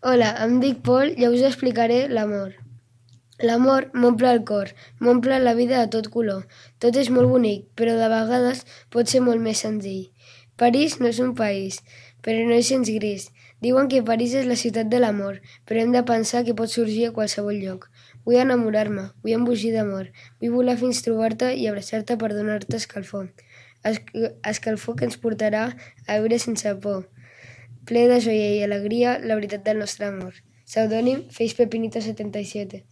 Hola, em dic Pol i us explicaré l'amor. L'amor m'omple el cor, m'omple la vida de tot color. Tot és molt bonic, però de vegades pot ser molt més senzill. París no és un país, però no és gens gris. Diuen que París és la ciutat de l'amor, però hem de pensar que pot sorgir a qualsevol lloc. Vull enamorar-me, vull embogir d'amor, vull volar fins trobar-te i abraçar-te per donar-te escalfor. Escalfor que ens portarà a viure sense por, ple de joia i alegria, la veritat del nostre amor. Pseudònim Feix Pepinito 77.